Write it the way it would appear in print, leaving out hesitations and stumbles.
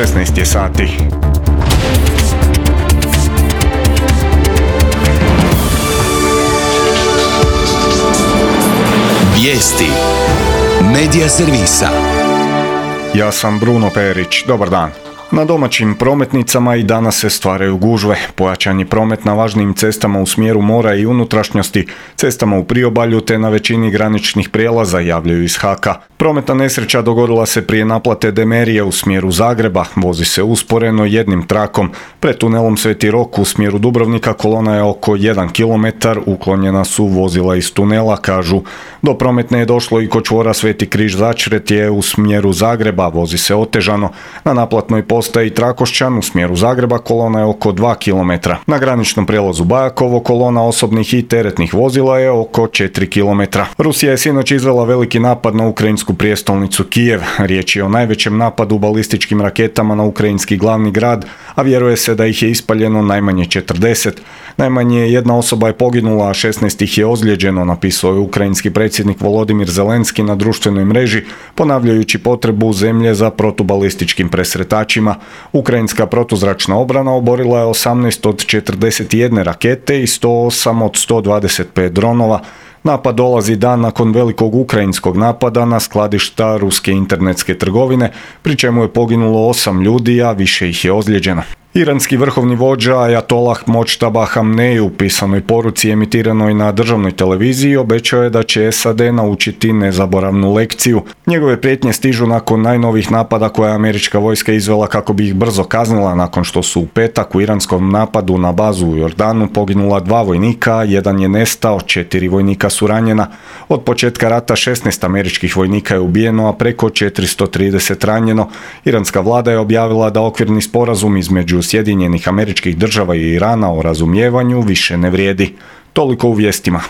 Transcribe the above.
16 je sati. Vijesti Medija servisa. Ja sam Bruno Perić, dobar dan. Na domaćim prometnicama i danas se stvaraju gužve. Pojačan je promet na važnim cestama u smjeru mora i unutrašnjosti, cestama u priobalju te na većini graničnih prijelaza, javljaju iz HAK-a. Prometna nesreća dogodila se prije naplate Demerije u smjeru Zagreba. Vozi se usporeno jednim trakom. Pred tunelom Sveti Rok u smjeru Dubrovnika kolona je oko 1 km, uklonjena su vozila iz tunela, kažu. Do prometne je došlo i kod čvora Sveti Križ Začretje u smjeru Zagreba, vozi se otežano. Na naplatnoj postaji Trakošćan u smjeru Zagreba kolona je oko 2 km. Na graničnom prijelazu Bajakovo kolona osobnih i teretnih vozila je oko 4 km. Rusija je sinoć izvela veliki napad na ukrajinsku prijestolnicu Kijev. Riječ je o najvećem napadu balističkim raketama na ukrajinski glavni grad, a vjeruje se da ih je ispaljeno najmanje 40. Najmanje jedna osoba je poginula, a 16 ih je ozlijeđeno, napisao je ukrajinski predsjednik Volodimir Zelenski na društvenoj mreži, ponavljajući potrebu zemlje za protubalističkim presretačima. Ukrajinska protuzračna obrana oborila je 18 od 41 rakete i 108 od 125 dronova. Napad dolazi dan nakon velikog ukrajinskog napada na skladišta ruske internetske trgovine, pri čemu je poginulo 8 ljudi, a više ih je ozlijeđeno. Iranski vrhovni vođa Ajatolah Močtaba Hamnej u pisanoj poruci emitiranoj na državnoj televiziji obećao je da će SAD naučiti nezaboravnu lekciju. Njegove prijetnje stižu nakon najnovih napada koje je američka vojska izvela kako bi ih brzo kaznila nakon što su u petak u iranskom napadu na bazu u Jordanu poginula 2 vojnika, jedan je nestao, 4 vojnika su ranjena. Od početka rata 16 američkih vojnika je ubijeno, a preko 430 ranjeno. Iranska vlada je objavila da okvirni sporazum između Sjedinjenih Američkih Država i Irana o razumijevanju više ne vrijedi. Toliko u vijestima.